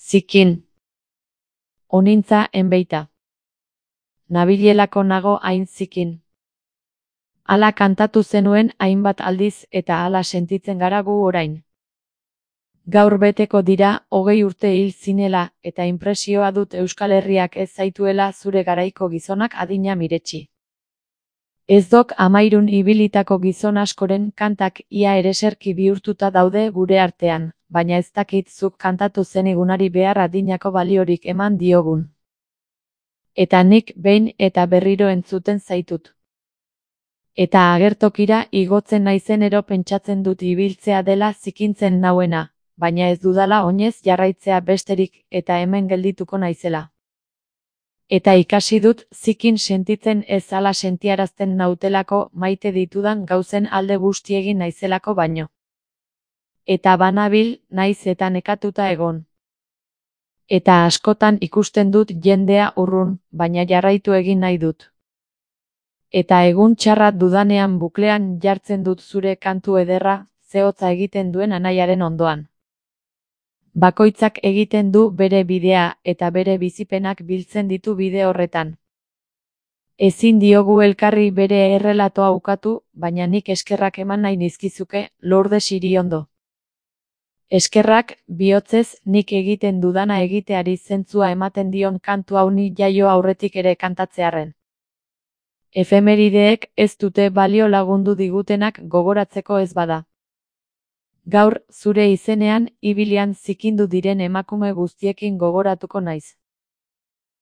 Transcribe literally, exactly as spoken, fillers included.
Zikin. Onintza enbeita. Nabilelako nago hain zikin. Hala kantatu zenuen hainbat aldiz eta hala sentitzen gara gu orain. Gaur beteko dira hogei urte hil zinela eta inpresioa dut Euskal Herriak ez zaituela zure garaiko gizonak adina miretsi. Ez dok amairun ibilitako gizon askoren kantak ia ereserki bihurtuta daude gure artean, baina ez dakit zuk kantatu zenigunari behar adinako baliorik eman diogun. Eta nik behin eta berriro entzuten zaitut. Eta agertokira igotzen naizenero pentsatzen dut ibiltzea dela zikintzen nauena, baina ez dudala oinez jarraitzea besterik eta hemen geldituko naizela. Eta ikasi dut zikin sentitzen ez hala sentiarazten nautelako maite ditudan gauzen alde guztiegin naizelako baino. Eta banabil naiz eta nekatuta egon. Eta askotan ikusten dut jendea urrun, baina jarraitu egin nahi dut. Eta egun txarra dudanean buklean jartzen dut zure kantu ederra, zehotza egiten duen anaiaren ondoan. Bakoitzak egiten du bere bidea eta bere bizipenak biltzen ditu bide horretan. Ezin diogu elkarri bere errelatoa ukatu, baina nik eskerrak eman nahi nizkizuke, Lourdes Iriondo. Eskerrak, bihotzez, nik egiten dudana egiteari zentzua ematen dion kantu hau ni jaio aurretik ere kantatzearren. Efemerideek ez dute balio lagundu digutenak gogoratzeko ez bada. Gaur, zure izenean, ibilian zikindu diren emakume guztiekin gogoratuko naiz.